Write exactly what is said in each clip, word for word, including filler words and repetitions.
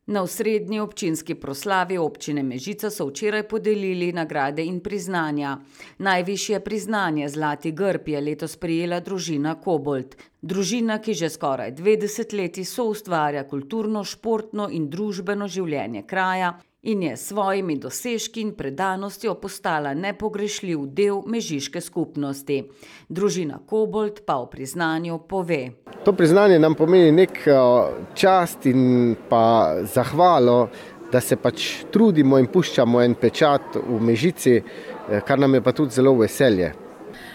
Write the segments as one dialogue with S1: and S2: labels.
S1: Na osrednji občinski proslavi občine Mežica so včeraj podelili nagrade in priznanja. Najvišje priznanje Zlati grb je letos prejela družina Kobold. Družina, ki že skoraj dve desetletji soustvarja kulturno, športno in družbeno življenje kraja in je s svojimi dosežki in predanostjo postala nepogrešljiv del mežiške skupnosti. Družina Kobold pa o priznanju pove.
S2: To priznanje nam pomeni nek čast in pa zahvalo, da se pač trudimo in puščamo en pečat v Mežici, kar nam je pa tudi zelo veselje.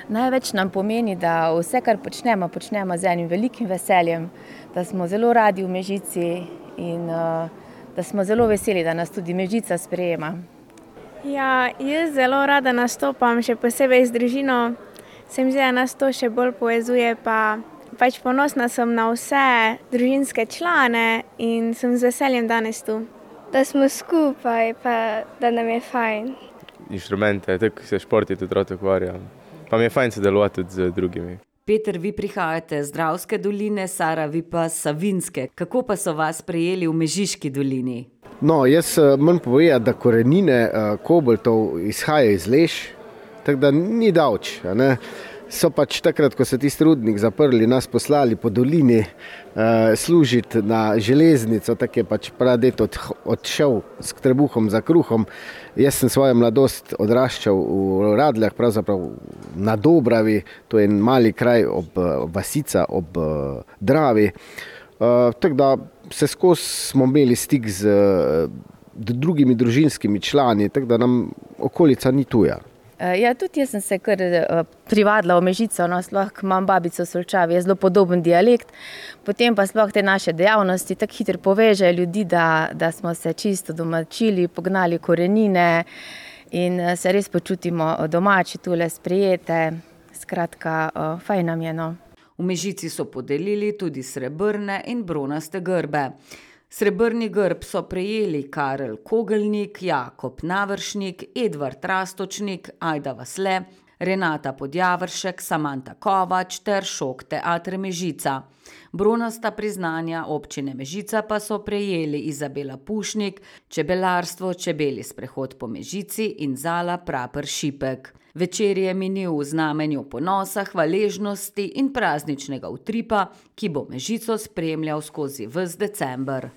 S3: Največ nam pomeni, da vse, kar počnemo, počnemo z enim velikim veseljem, da smo zelo radi v Mežici in da smo zelo veseli, da nas tudi Mežica sprejema.
S4: Ja, jaz zelo rada nastopam, še posebej z družino. Se mi zdi, da nas to še bolj povezuje, pa pač ponosna sem na vse družinske člane in sem z veseljem danes tu.
S5: Da smo skupaj, pa da nam je fajn.
S6: Inštrumente, tako se športi tudi rad ukvarjam. Pa mi je fajn sodelovati tudi z drugimi.
S1: Peter, vi prihajate z Dravske doline, Sara, vi pa s Savinjske. Kako pa so vas prejeli v Mežiški dolini?
S2: No, jaz moram povedati, da korenine Koboldov izhajajo iz Leš, tako da ni davč, a ne. So pač takrat, ko so tisti rudnik zaprli, nas poslali po dolini uh, služiti na železnico, tako je pač pradet od, odšel s trebuhom za kruhom. Jaz sem svojo mladost odraščal v Radljah, pravzaprav na Dobravi, to je en mali kraj ob vasica, ob uh, Dravi. Uh, tako da se skozi smo imeli stik z uh, drugimi družinskimi člani, tako da nam okolica ni tuja.
S3: Ja, tudi jaz sem se kar privadila v Mežico, no, sploh imam babico v Solčavi, je zelo podoben dialekt, potem pa sploh te naše dejavnosti tako hitro povežejo ljudi, da, da smo se čisto domačili, pognali korenine in se res počutimo domači, tule sprejete, skratka, fajn nam je, no.
S1: V Mežici so podelili tudi srebrne in bronaste grbe. Srebrni grb so prejeli Karel Kogelnik, Jakob Navršnik, Edvard Rastočnik, Ajda Vasle, Renata Podjavršek, Samanta Kovač ter Šok teater Mežica. Bronasta priznanja občine Mežica pa so prejeli Izabela Pušnik, čebelarstvo, čebeli sprehod po Mežici in Zala Praper Šipek. Večer je minil v znamenju ponosa, hvaležnosti in prazničnega utripa, ki bo Mežico spremljal skozi ves december.